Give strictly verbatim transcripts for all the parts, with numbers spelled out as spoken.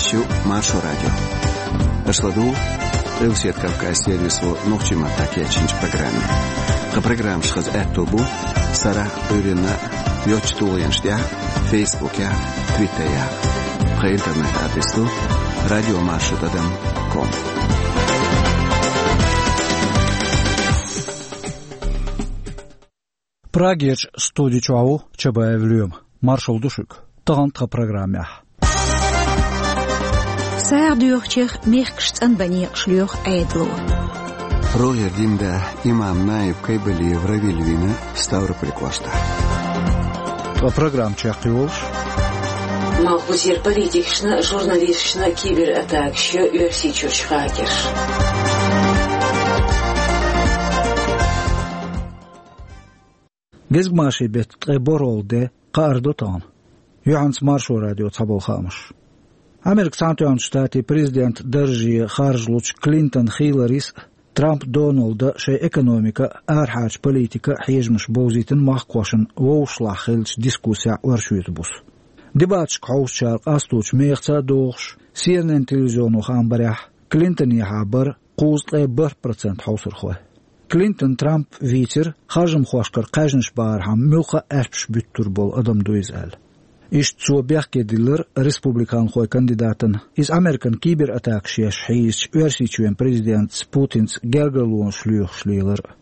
Шу Маршо радио. Аша ладугӀу Къилбаседа Кавказ сервисо нохчийн маттахь кечйинчу программе. Тхан программаш хаза аьтто бу сарахь а, Ӏуьйранна а йоцачу тулгӀенаш тӀехь а, Фейсбукехь а, Твиттерехь а. Тхан интернет-адрес ду радиомаршо тӀадам ком. Прагерчу студи чохь ву Чабаев Лоьма. Маршалла ду шуьга. Тахана тхан программехь: сагӀа доьхучех мехкаш цӀанбан некъаш лоьху Ӏедало. РогӀера динан да имам наиб Кайбалиев Равиль вийна Ставрополь кӀоштахь. Тхан программа чекхйолуш: малхбузера политикашна а, журналисташна а кибератакаш йо Оьрсийчуьрчу хакерша. Гезгмашин беттан ткъе борхӀалгӀа де, кхаардо тахана. Юьхьанца Маршо радион цхьаболу хаамаш. Америкин Цхьаьнатоьхначу Штатийн президентан дарже харжалучу Клинтон Хилларис а, Трамп Доналда а шайн экономикан а, арахьарчу политикан а хьежамаш бовзийтина махкахошна вовшашлахь хиллачу дискуссехь оршотан буса. Дебаташка хьовсучара къасточу мехаца а догӀуш, Си Эн Эн телевизионо хаам барехь, Клинтонехьа бара кхузткъе бархӀ процент хьовсархой. Клинтон Трамп вийцира, харжамхошкара кхаьжнаш бахархьама муьлхха а аьшпаш буьттур болу адам ду иза аьлла. Иштта цо бехке диллира республиканхойн кандидатана, иза Американа кибератакаш еш хьийзачу Оьрсийчоьнан президентаца Путинца гергарлонаш лоьхуш лелар а.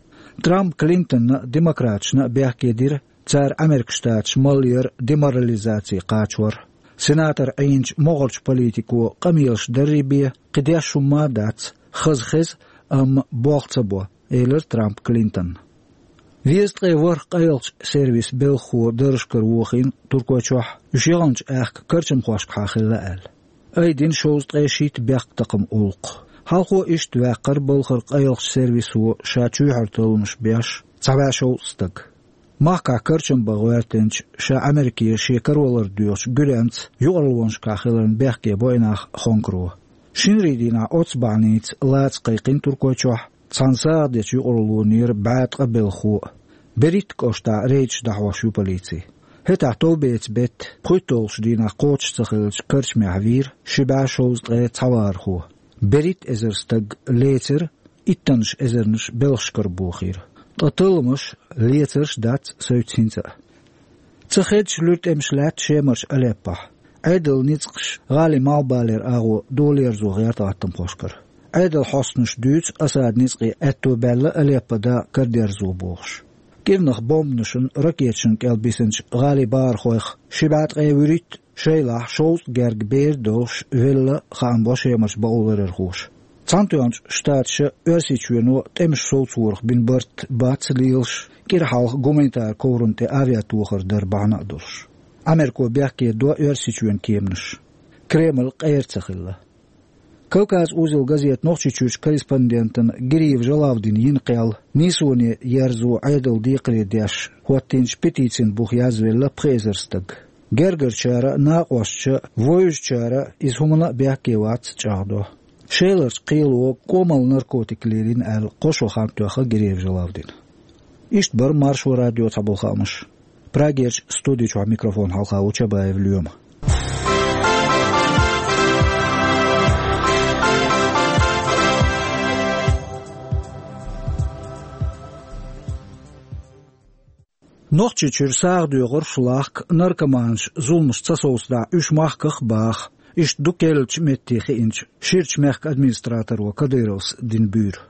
Трампа Клинтонна а, демократашна а бехке дира, цара Америкин Штаташ малъяр а, деморализаци кхачор а. Сенатор Ӏийначу могӀарчу политико къамелаш даррий бен, кхин деш хӀумма а дац, хаза хеза, амма болх ца бо, элира Трампа Клинтонна. Везткъе ворхӀ къайлахчу сервисан белхахо даржашкара вохийна Туркойчохь, уьш яханчу аьхка карчамхошкахьа хилла аьлла. Айдина шовзткъе шийтта бехктакхаман гӀуллакх. Хьалхо иштта ваьккхира балхара къайлахчу сервисо ша чоьхьара талламаш беш цхьа бӀе шовзткъа стаг. Махкахь карчам бан гӀоьртинчу, ша Америке шен каравалар доьхучу Гуьренца юкъараллонашкахь хиларна бехке бо и нах Хонкаро. Шинарин дийнахь оццу бахьаница лаца кхайкхина Туркойчохь цхьана сагӀа дечу юкъараллонера бӀе ткъа белхахо а. Беритта кӀоштахь рейдаш дӀахьош ю полици. ХӀетахь товбеца бетта, пхуьйтталгӀачу дийнахь кхочуш ца хиллачу карчамехь вийра ши бӀе шовзткъе цхьа вахархо. БерхӀитта эзар стаг лецира, иттаннаш эзарнаш белхашкара бохийра. Ткъа талламаш, лецарш дац соьца хӀинца а. Ца хеддаш луьра тӀемаш лаьтта Шемарчу Алеппохь. Ӏедалан ницкъаш гӀалин малхбалера агӀо долаерзо гӀерта гӀаттамхошкара. Ӏедалан хьостанаша дуьйцу Асадан ницкъийн аьтто баьлла Алеппо-да карадерзо бохуш. КӀирнах бомбанашна, ракеташна кӀел бисинчу гӀалин бахархойх ши бӀе ткъе вуьрхӀитта, шайлахь шовзткъа герга бер а долуш, велла, хаам бо Шемарчу бакъоларъярхоша. Цхьаьнатоьхначу Штаташа Оьрсийчоьно тӀемаш совцорах бина барт бац лелаш, кӀира хьалха гуманитаран коврана тӀе авиатохар дар бахьана а долуш. Америко бехке до Оьрсийчоьнан кеманаш. Кремль къера ца хилла. Кавказ узел газетан Нохчийчуьрчу корреспондентана Гириев Жалавдина йина кхел нийсоне ерзо Ӏедалан декхаре деш хӀоттийначу петицин буха язвелла пхи эзар стаг. Гергарчара а, накъосташа а, вевзачара а иза хӀуманна а бехке вац чӀагӀдо. Шеларчу кхело кӀомал наркотик лелийна аьлла, кхо шо хан тоьхна Гириев Жалавдина. Иштта бара Маршо радион цхьаболу хаамаш. Прагерчу студи чохь микрофон хьалха ву Чабаев Лоьма. Нохчийчуьра сагӀа доьхурш лахка, наркоманаш зуламаш ца совцадахь, уьш махках а баха, иштта ду керлачу метте хиъначу Ширачу мехкан администраторо Кадыровс дина буьйра.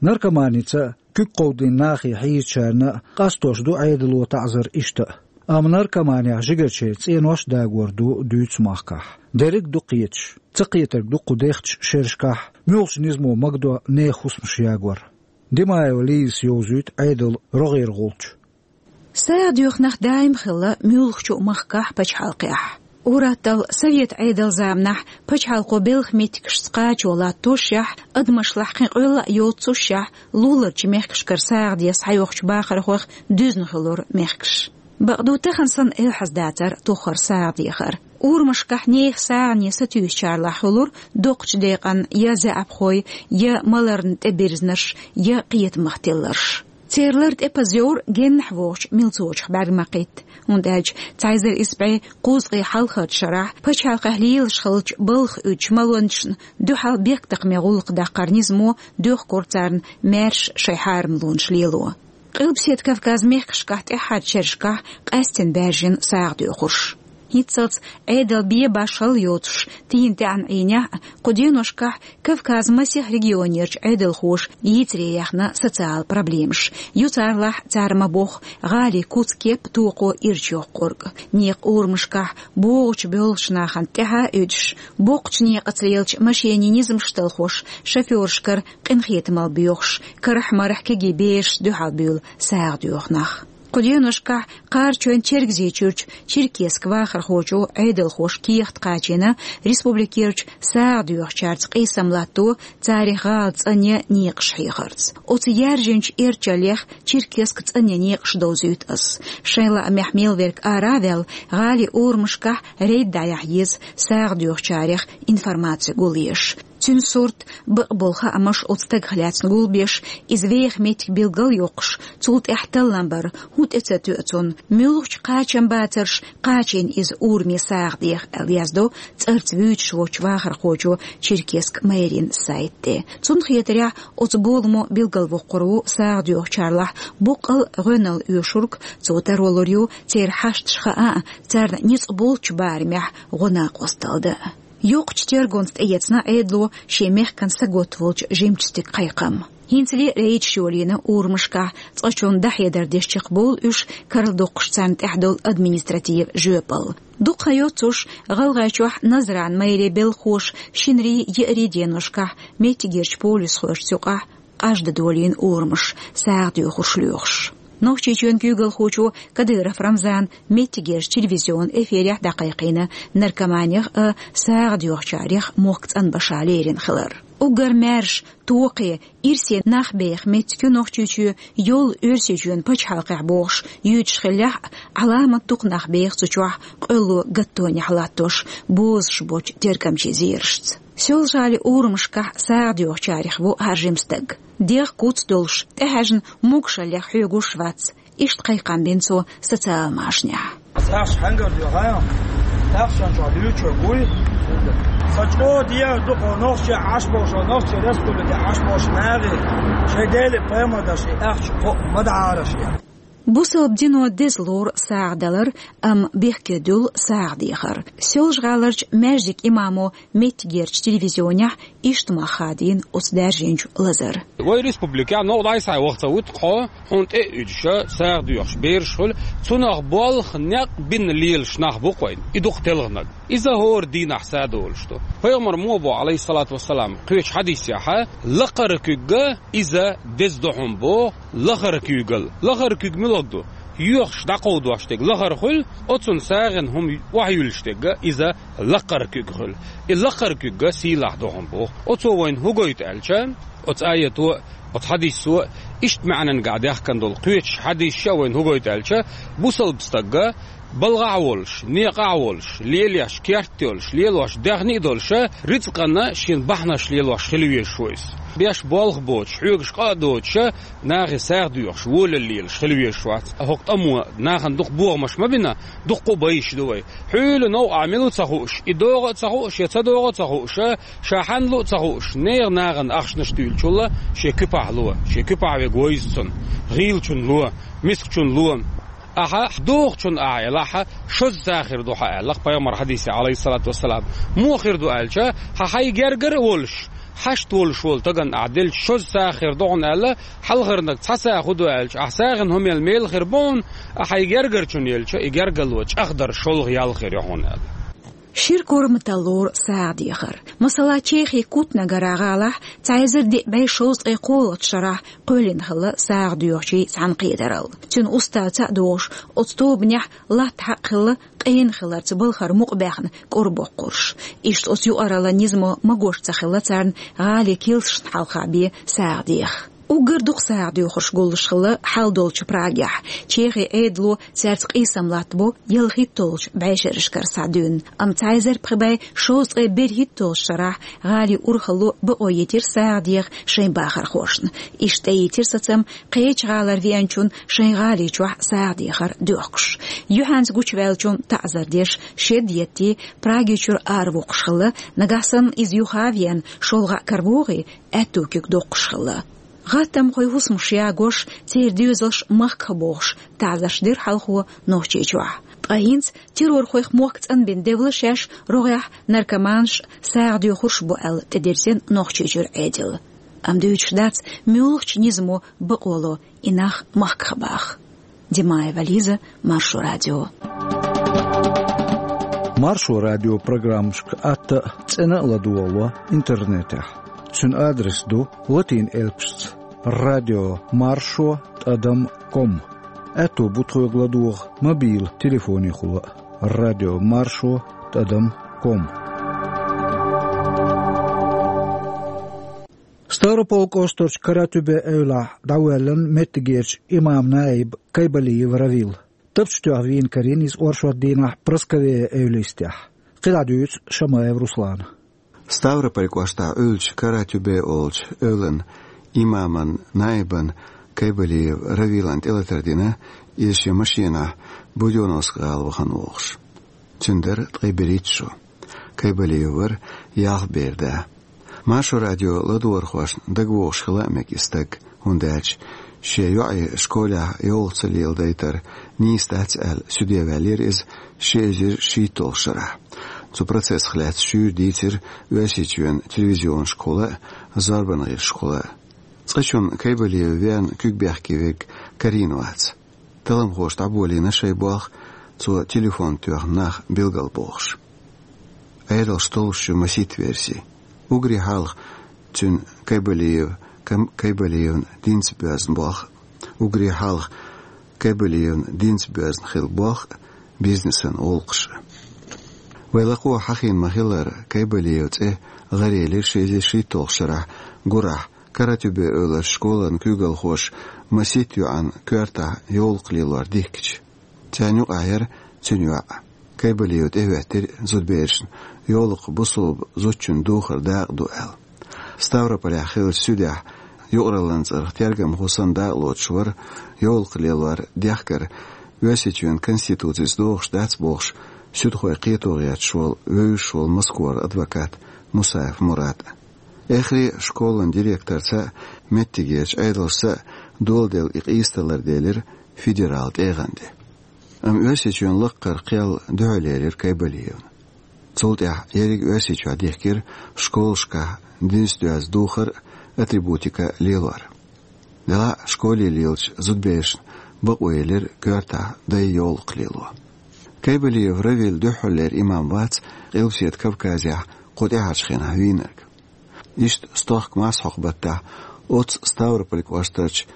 Наркоманица куьг кховдийна нахе хьийзачарна а къастош ду Ӏедало таӀзар иштта а. Амма наркоманехь жигарчеран цӀенош а дагор ду дуьйцу махкахь. Дерриг а ду кхеташ. Ца кхетарг ду кху дехачу шерашкахь муьлхачу низамо магадо нехан хӀусамаш ягор. Димаева Лизас йовзуьйту Ӏедалан рогӀера гӀулч. СагӀа доьху нах даим хилла муьлххачу махкахь, пачхьалкхехь. Ур-атталла совет Ӏедалан заманахь пачхьалкхо белхан меттигашца кхачо латтошшехь, адамашлахь кхин къоьлла а йоццушшехь, луларчу мехкашкара сагӀа де схьайохучу бахархойх дуьзна хуьлура мехкаш. Бакъду, тахана санна элхьаз дацара тохара сагӀа дехар. Урамашкахь нехан сагӀане сатуьйсучарлахь хуьлура доккхачу декъан я заьӀапхой, я маларна тӀебирзнарш, я кхетамах тилларш. Церан лар тӀепаза йовра геннахь вогӀучу милцочух бӀаьрг ма кхетта, хӀунда аьлча цхьа эзар исс бӀе кхузткъе хьалхарчу шарахь пачхьалкхехь лелаш хиллачу балха уьдучу малончашна дуьхьал бехктакхаман гӀуллакх даккхаран низамо доьхкура царна маьрша шайн хьарамлонаш лело. Къилбаседа Кавказан мехкашкахь тӀаьххьарчу шерашкахь къаьсттина баьржина сагӀа доьхурш. ХӀинццалц Ӏедал бен башхалла йоцуш, тийна тӀаьхьарчу Ӏийнехь а, кху деношкахь Кавказан масех регионерчу Ӏедалхоша йийцаре яьхна социалан проблемаш. Ю царалахь, цара ма-бохху, гӀалин куц-кеп токхо ирча йоккхург. Некъан урамашкахь богӀучу боьлхучу нахана тӀаьхьа а уьдуш, боккхачу некъаца лелачу машенийн низамаш талхош, шофёрашкара къинхетамалла боьхуш, карахь-марахь кегий берашца дуьхьал буьйлу сагӀа доьху нах. Кху деношкахь Кхарачойн-Чергазийчуьрчу Черкесск вахархочо Ӏедалхоша кехат кхачийна республикерчу сагӀа доьхучаьрца къийсам латто, царах гӀала цӀанъян некъаш хьехарца. Оцу яьржинчу эрчаллех Черкесск цӀанъян некъаш довзуьйту ас. Шайн лаамехь мел верг ара а ваьлла, гӀалин урамашкахь рейд дӀаяхьа еза, сагӀа доьхучарех информаци гулъеш. Цуьнан сурт, бакъболу хаамаш оцу стагах лаьцна гулбеш, иза веха меттиг билгалйоккхуш, цул тӀаьхьа таллам бар, хӀун тӀе ца тоьа цунна, муьлхачу кхачамбацарша кхачийна иза ураме сагӀа деха, аьлла яздо цӀарца вуьйцуш воцчу вахархочо Черкесск мэрин сайта тӀе. Цунна хетарехь, оцу боламо билгалвоккхур ву сагӀа доьхучарлахь боккъал гӀоьналла оьшург, цо таро лур ю церан хьашташ хаа а, царна ницкъ болчу барамехь гӀо-накъосталла дан а. Йоккхачу тергонца тӀеэцна Ӏедало шен мехкан саготта волчу жимачу стеган кхайкхам. ХӀинцале а рейдаш йолийна урамашкахь, цкъачунна дӀахьедар деш чекхбовлу уьш, карладоккхуш царна тӀехь долу административан жоьпалла. Дукха хан йоццуш, ГӀалгӀайчохь Назран мэрин белхахоша шинарин, еарин деношкахь меттигерчу полисхошца юкъахь къажда долийна урамаш, сагӀа доьхурш лоьхуш. Нохчийчоьнан куьйгалхочо Кадыров Рамзана меттигерчу телевизионан эфирехь дӀакхайкхийна наркоманех а, сагӀа доьхучарех а мохк цӀанбаша лерина хилар. Уггар маьрша, токхе, ирсе нах беха меттиг ю Нохчийчоь, йолу Оьрсийчоьнан пачхьалкхехь бохуш юьйцуш хиллехь а, Ӏаламат дукха нах беха цу чохь къоьлло гаттонехь латтош, бозуш боцчу тергамчийн зерашца. Соьлжа-ГӀалин урамашкахь сагӀа доьхучарех ву хьажа жима стаг. ДегӀ куц долуш, тӀехьаьжна могушаллех хьоьгуш вац. Иштта кхайкхам бина цо социалан машанехь. СагӀаш хьаьнгара доьху, тахшанчохь дуьйцуш гуй. Сан чӀогӀа дегӀ ду кху нохчий Ӏаш болуш, нохчийн республике Ӏаш болуш нахе, шайн Деле пайхамар даш и ахча кхоъ ма дахьара шен. Бусалба дино деза лору сагӀа далар, амма бехке дуьллу сагӀа дехар. Соьлжа-ГӀаларчу маьждиган имамо меттигерчу телевизионехь иштта мах хадийна оцу даьржинчу лазар. Вай республикехь новкъа дӀасхьа ваха ца вуьту кхо, хьуна тӀе а уьдуша, сагӀа доьхуш бераш хуьлу, цунах болх некъ бина лелаш нах бу кхойн. И дукха телханаг. Иза хӀора дийнахь садолуш ду. Пайхамар мо бо, алейхиссалату вассалам, кхечу хьадисехьа, лакхара куьгга иза деза ду хьуна боху, лахара куьйгал. Лахара куьг муьлхаг ду? Йоьхуш дӀакховдош дерг лахара хуьлу, оцунна сагӀина хӀума охьаюьллуш дерг иза лакхара куьг хуьлу. И лакхара куьгга сийлахь ду хьуна боху. Оцо вайна хӀун гойту аьлча, оцу аято а, оцу хьадисо а, иштта маьӀнангахь даьхкина долу кхечу хьадисаша вайна хӀун гойту аьлча, бусалба стагга балгӀахь а волуш, некъахь а волуш, лелош керт а йолуш, лелош даьхни а долуша, рицкъана шен бахьанаш лелош хила везаш ву иза. Беш болх боцуш, хьоьгуш къа а доцуша, нахе сагӀа доьхуш, волалла лелаш хила везаш вац. ХӀокху тӀамо нахана дукха бохамаш ма бина, дуккха а байш ду вай. Хьуьйла новкъахь мила ву ца хууш, и догӀу а ца хууш, я ца догӀу а ца хууша, ша хьанна лу а ца хууш, нехан нахана ахчанаш туьйлучул шен куьпахь ло, шен куьпахь верг вевза цунна, гӀийлачунна ло, мискачунна ло. Ахьа дохучунна ахьа елахь, шозза хир ду хьан аьлла-кх пайхамар хьадисехь, алейхиссалату вассалам. Муха хир ду аьлча, хьан хьайн гергара а волуш, хьашт волуш волу стагана ахьа делча шозза хир ду хьуна аьлла, хьалхарнаг цхьа сагӀа хӀун ду аьлча, ахьа сагӀина хӀума елла мела хир бу хьуна, ахьа хьайн гергарчунна елча, и гергарло чӀагӀдар шолгӀа ял хир ю хьуна аьлла. Шира корматалла лору сагӀа дехар. Масала, Чехин Кутнагара гӀалахь цхьа эзар диъ бӀе шовзткъе кхоалгӀачу шарахь кхоьллина хилла сагӀа доьхучийн цхьаьнакхетаралла. Цуьнан уставца а догӀуш, оцу тобанехь латта хьакъ хилла къена хиларца балхара мукъабаьхна кӀорбоккхурш. Иштта оцу юкъараллан низамо магош ца хилла царна гӀалин килсашна хьалха бен сагӀа деха. Уггар дукха сагӀа доьхурш гуллуш хилла хьал долчу Прагехь. Чехин Ӏедало цаьрца къийсам латтабо ялхитталгӀачу бӀешерашкара схьа дуьйна, амма цхьа эзар пхи бӀе шовзткъе берхӀитталгӀачу шарахь гӀалин урхалло бакъо йитира сагӀа деха шайн бахархошна. Иштта тӀеийтира сацам кхечу гӀалара веанчунна шайн гӀали чохь сагӀа дехар доьхкуш. Юьхьанца гучуваьллачунна таӀзар деш, шед еттий, Праги чуьра аравоккхуш хилла, нагахь санна иза юха а веана, шолгӀа а каравогӀий, аьтту куьг доккхуш хилла. ГӀаттамхойн хӀусамаш ягош, церан доьзалш махках бохуш, таӀзарш дира хьалхо Нохчийчохь. Ткъа хӀинца террорхойх мохк цӀанбина девлла шаьш рогӀехь наркоманаш, сагӀа доьхурш бу аьлла тӀедирзина Нохчийчуьра Ӏедал. Амма дуьйцуш дац, муьлхачу низамо бакъо ло и нах махках баха. Димаева Лиза, Маршо радио. Маршо радио программашка атта а, цӀена а ладогӀало интернетехь. Цуьнан адрес ду латин элпашца: радио маршо тӀадам ком. Аьтто бу тхоьга ладогӀа мобил телефонехула а: радио маршо тӀадам ком. Ставрополь кӀоштарчу Каратюбе эвлахь дӀавоьллина меттигерчу имам-наиб Кайбалиев Равил. Тапча тоьхна вийна карийна иза оршот дийнахь Прасковея эвлистехь. КхидӀа дуьйцу Шамаев Руслана. Ставрополь кӀоштахь Ӏуьллучу Каратюбе олучу эвлан имаман наибан Кайбалиев Равилан тӀелатар дина, иза шен машенахь Будённовск гӀала вахана вогӀуш. Цуьнан дара ткъе берхӀитта шо. Кайбалиев вара ялх бер да. Маршо радио ладогӀархошна дагавогӀуш хила а мега и стаг, хӀунда аьлча шен йоӀе школехь йовлакх ца леладайтар нийса дац аьлла, суьде ваьллера иза ши эзар шийтталгӀачу шарахь. Цу процессах лаьцна шуьйра дийцира Оьрсийчоьнан телевизионашкахула а, зорбанан гӀирсашкахула а. Цкъачунна Кайбалиев верна куьг бехке верг карийна вац. Талламхоша дӀаболийна шайн болх, цо телефон тоьхна нах билгалбохуш. Ӏедалш толлуш ю масийтта верси. Уггаре хьалха цуьнан Кайбалиев, Кам-, Кайбалиевна динца боьзна болх, уггаре хьалха Кайбалиевна динца боьзна хилла болх а, бизнесан гӀуллакхаш а. Вай лакхо хьахийна ма-хиллара, Кайбалиев цӀе гӀарелира ши эзар шийтталгӀачу шарахь гурахь Каратюбе эвлара школан куьйгалхоша масийтта йоӀан коьртахь йовлакх лелор дихкича. Царна юкъахь яра цуьнан йоӀ. Кайбалиев тӀехӀоьттира зудаберашна, йовлакх бусалба зудчун духар дакъа ду аьлла. Ставрополехь хиллачу суьдехь юкъараллин цӀарах тергамхо санна дакъа лоцуш вара йовлакх лелор дехкар Оьрсийчоьнан Конституцица догӀуш дац бохуш, суьдхойн кхето гӀерташ волу вевзаш волу Москвара адвокат Мусаев Мурад. Эххар а школан директорца а, меттигерчу Ӏедалшца а доладелла и къийсадалар делира федералан тӀегӀан де. Амма Оьрсийчоьнан лаккхара кхел дуьхьал елира Кайбалиевна. Цул тӀаьхьа ерриг Оьрсийчохь дихкира школашкахь динца доьзна духар а, атрибутика а лелор. Делахь а школе лелачу зудаберашна бакъо елира коьртахь дай йовлакх лело. Кайбалиев Равил дуьххьарлера имам вац Къилбаседа Кавказехь кху тӀаьхьарчу хенахь вийнарг. Иштта стохка мас хьокху баттахь оццу Ставрополь кӀоштарчу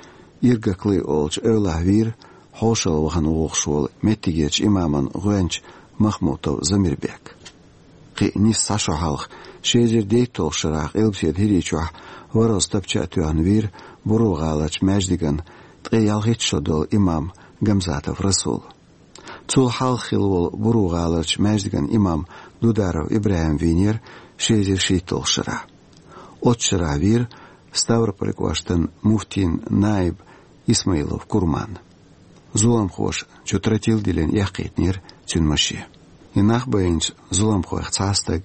Иргаклы олучу эвлахь вийра хьошалла вахана вогӀуш волу меттигерчу имаман гӀоьнча Махмутов Замирбек. Кхин а нийса цхьа шо хьалха, ши эзар дейтталгӀачу шарахь Къилбаседа ХӀирийчохь ворхӀазза тапча а тоьхна вийра Буро-гӀаларчу маьждиган ткъе ялхитта шо долу имам Гамзатов Расул. Цул хьалха хилла волу Буро-гӀаларчу маьждиган имам Дударов ИбрахӀим вийнера ши эзар шийтталгӀачу шарахь. Оццу шарахь вийра Ставрополь кӀоштан муфтин наиб Исмаилов Курман. Зуламхоша чу тротил диллина эккхийтинера цуьнан машен. И нах байинчу зуламхойх цхьа а стаг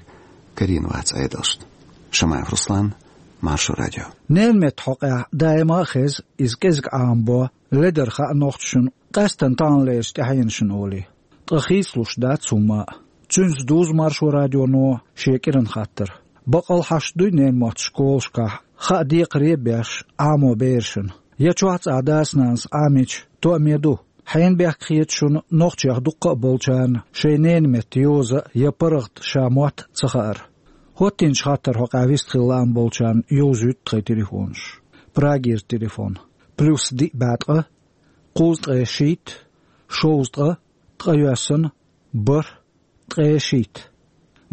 карийна вац Ӏедалшна. Шамаев Руслан, Маршо радио. Ненан меттан хьокъехь даима а хеза, иза кӀезиг Ӏамабо, ледара хаьа нохчашна, къаьсттина таханлерчу тӀаьхьенашна олий. Ткъа хийцалуш дац хӀумма а. Цуьнца дузу Маршо радионо шен кӀиран хаттар. Баккъал хьашт дуй ненан мотт школашкахь, хаа декхаре а беш, Ӏамо берашна? Я чохь цӀахь дас-нанас Ӏамийча, тоаме ду? Хьенан бехк хета шуна нохчех дуккха а болчарна шайн ненан метта йоза я паргӀат ша мотт ца хаар? ХӀоттийначу хаттарна хьокъехь вистхила лаам болчарна йовзуьйту тхайн телефонаш. Прагера телефон: плюс диъ бӀе ткъа, кхузткъе шийтта, шовзткъа, ткъайоьсна, бархӀ, ткъе шийтта.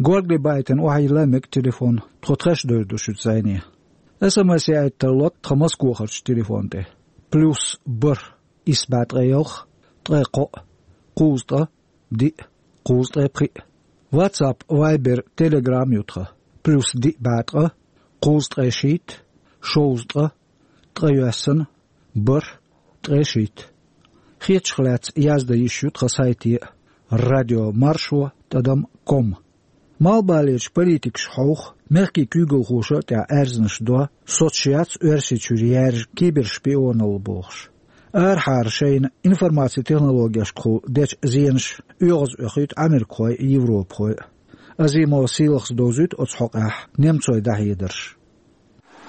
Горгали байтина охьайилла мега телефон, тхо тхаьш девр ду шуьца зӀене. СМС яийта тарло тхан Москвахарчу телефон тӀе: плюс бархӀ, исс бӀе ткъе ялх, ткъе кхоъ, кхузткъа, диъ, кхузткъе пхиъ. WhatsApp, Viber, Telegram ю тхан: плюс диъ бӀе ткъа, кхузткъе шийтта, шовзткъа, ткъе йоьссана, бархӀ, ткъе шийтта. Хетачух лаьцна яздан йиш ю тхан сайте: радио маршо тӀадам ком. Малхбалерчу политикаша хьовха, мехкийн куьйгалхоша а тӀехь аьрзнаш до, соцуш яц Оьрсийчуьра яьржа кибершпионалла бохуш. Арахьара шайна информацин технологешкахула дечу зенаша оьгӀаз оьхуьйту америкахой а, европахой а. Азимова Сийлахас довзуьйту оцу хьокъехь немцойн дӀахьедарш.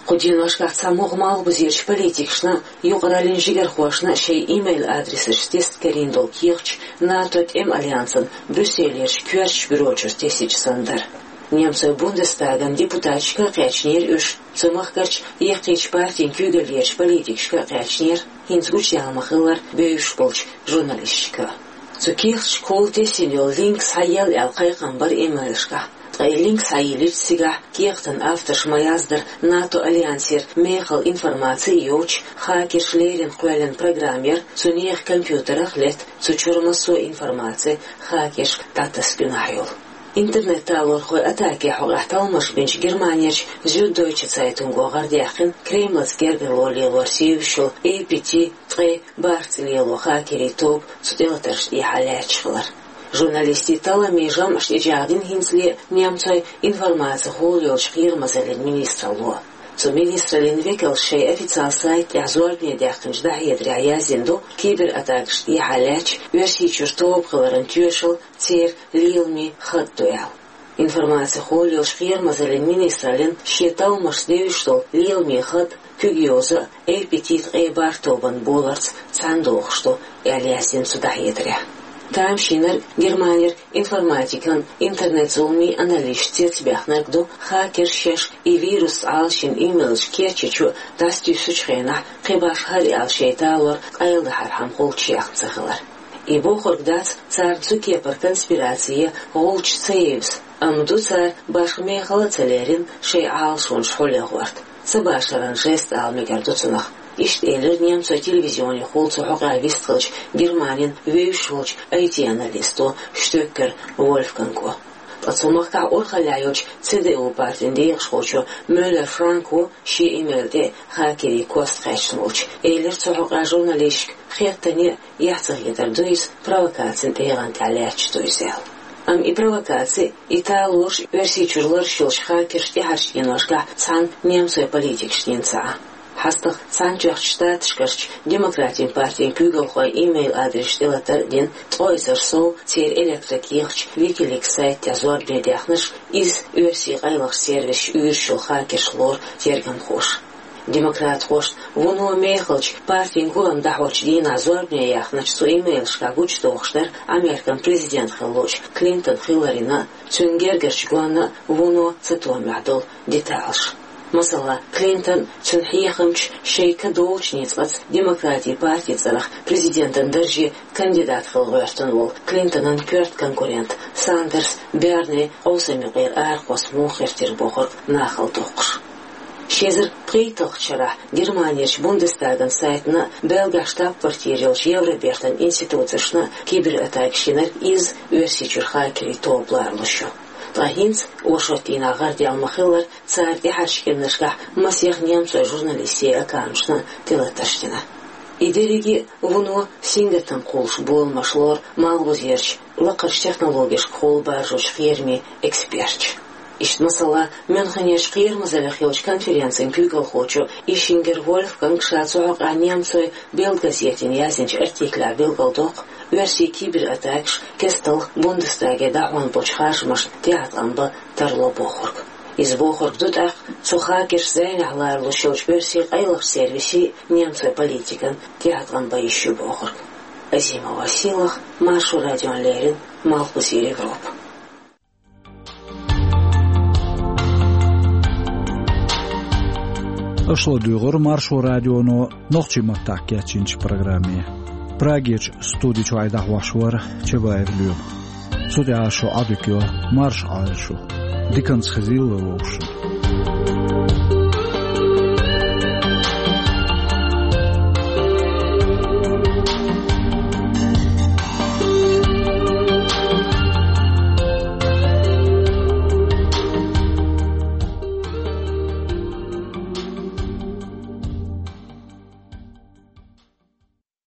Кху деношкахь цхьа мугӀ малхбузерчу политикашна а, юкъараллин жигархошна а шайн имейл адресаш тесна карийна долу кехаташ НАТО тӀеман альянсан Брюсселерчу коьртачу бюрочуьра тесича санна дара. Немцойн Бундестаган депутаташка а кхаьчнера уьш, цу махкарчу яккхийчу партийн куьйгаллерчу политикашка а кхаьчнера, хӀинца гучудаьлла ма-хиллара, бевзаш болчу журналисташка а. Цу кехаташкахула тесна йолу линк схьаелла аьлла кхайкхам бара имейлашкахь. Ткъа и линк схьайиллича цигахь кехатан авторша ма-яздара, НАТО альянсера мехала информаци йоцуш, хакерша леррина кхоьллина программа яра, цу нехан компьютерах летта цу чуьра массо а информаци хакершка дӀатасса гуьнахь йолу. Интернет-талорхойн атаке хьокъехь талламаш бинчу Германерчу Зюддойче Цайтунго гӀардаьккхина Кремлаца гергарло лелорца евзаш йолу эй пи ти ткъе бархӀ цӀе лело хакерийн тоба цу тӀелатаршна тӀехьа лаьтташ хилар. Журналистийн талламийн жамӀаш тӀечӀагӀдина хӀинцале немцойн информацин хьолайолчу кхерамазаллин министралло. Цу министраллин векалша шайн официал сайта тӀехь зорбане даьккхинчу дӀахьедарехь яздина ду, кибератакашна тӀехьа лаьтташ Оьрсийчуьра тоба хиларан тоьшалла церан леламийн хатӀ ду аьлла. Информацин хьолайолчу кхерамазаллин министраллин шен талламашца девзаш долу леламийн хатӀ куьг йоза а, эй пи ти ткъе бархӀ тобанна боларца цхьаьна догӀуш ду, аьлла яздина цу дӀахьедарехь. Тамашийнарг Германера информатикан, интернет-зуламийн аналисташ цецбаьхнарг ду, хакерша шаьш и вирусца Ӏалашйина имейлаш кечйича а, дӀасатуьйсучу хенахь кхин башха хӀара аьлла шайн талор къайладахьархьама гӀулч яьхна ца хилар. И бохург дац царна цу кепара конспираци я гӀулч ца евза, амма ду цара башха мехала а ца лерина шайн Ӏалашонаш хьулъян гӀорта, ца башаран жест ала мегар ду цунах. Иштта элира немцойн телевизионехула цу хьокъехь вистхиллачу Германин вевзаш волчу ай ти-аналисто Штёккер Вольфганго. Ткъа цу махкахь урхаллехь йолчу Ц Д У партин декъашхочо Мюллер Франко шен имейл тӀе хакерийн кост кхаьчна волчу элира цу хьокъехь журналисташка, хеттане а, эхь ца хетар ду иза, провокацин тӀегӀан тӀехь лаьтташ ду иза аьлла. Амма и провокаци, и талораш Оьрсийчуьра лараш йолчу хакерша тӀаьхьарчу деношкахь цхьана немцойн политикашна йина ца Ӏа. ХьастагӀа Цхьаьнатоьхначу Штаташкарчу Демократийн партин куьйгалхойн имейл адресаш тӀелатар а дина, ткъо эзар сов церан электрокехаташ Wikileaks сайта тӀехь зорбане даьхнарш, иза оьрсийн къайлахчу сервисаша уьйраш йолу хакерш лору тергамхоша. Демократхошна вуно мехалчу партин гулам дӀахьочу дийнахь зорбане яьхначу цу имейлашкахь гучудохуш дара Американ президент хилла луучу Клинтон Хилларина а, цуьнан гергарчу гонна а вуно цатоьхнехь долу деталаш. Масала, Клинтон, цуьнан хьехамчаш шайн ка долчу ницкъаца Демократийн партин цӀарах президентан дарже кандидат хила гӀоьртина волу Клинтонан коьрта конкурент Сандерс Берни къовсам юкъера арахьа кхосса муха хиртира бохург нахала доккхуш. Ши эзар пхийтталгӀачу шарахь Германерчу Бундестаган сайтана а, Бельгехь штаб-квартира йолчу Евробертан институцашна а кибератакаш йинарг изза Оьрсийчуьра хакерийн тоба лоруш ю. Ткъа хӀинца, оршотдийнахь гӀардаьлла ма-хиллара, цара тӀаьхьарчу кӀиранашкахь масех немцойн журналистийн аккаунташна а тӀелатарш дина. И дерриге а вуно сингаттам кхуллуш боламаш лору малхбузерчу лакхарчу технологешкахула баржочу кхерамийн эксперташа. Иштта, масала, Мюнхенерчу кхерамазаллех йолчу конференцин куьйгалхочо Ишингер Вольфганга ша цу хьокъехь немцойн Бельд газетана яздинчу артиклехь билгалдоккху, оьрсийн кибератакаш кестта Бундестаге дӀахьон болчу харжамашна тӀеӀаткъам бан тарло бохург. Иза бохург ду тӀаккха цу хакерш зӀенехь лоралуш йолчу оьрсийн къайлахчу сервисийн а, немцойн политикан а тӀеӀаткъам бан йиш ю бохург. Азимова Сийлаха, Маршо радиона леррина, Малхбузера Европа. Аша ладуьйгӀира Маршо радионо нохчийн маттахь кечйинчу программе. Прагерчу студи чуьра дӀахьош вара Чабаев Лема. Цу тӀехь шу Ӏодика йо, марша Ӏойла шу. Диканца хезийла вовшашна.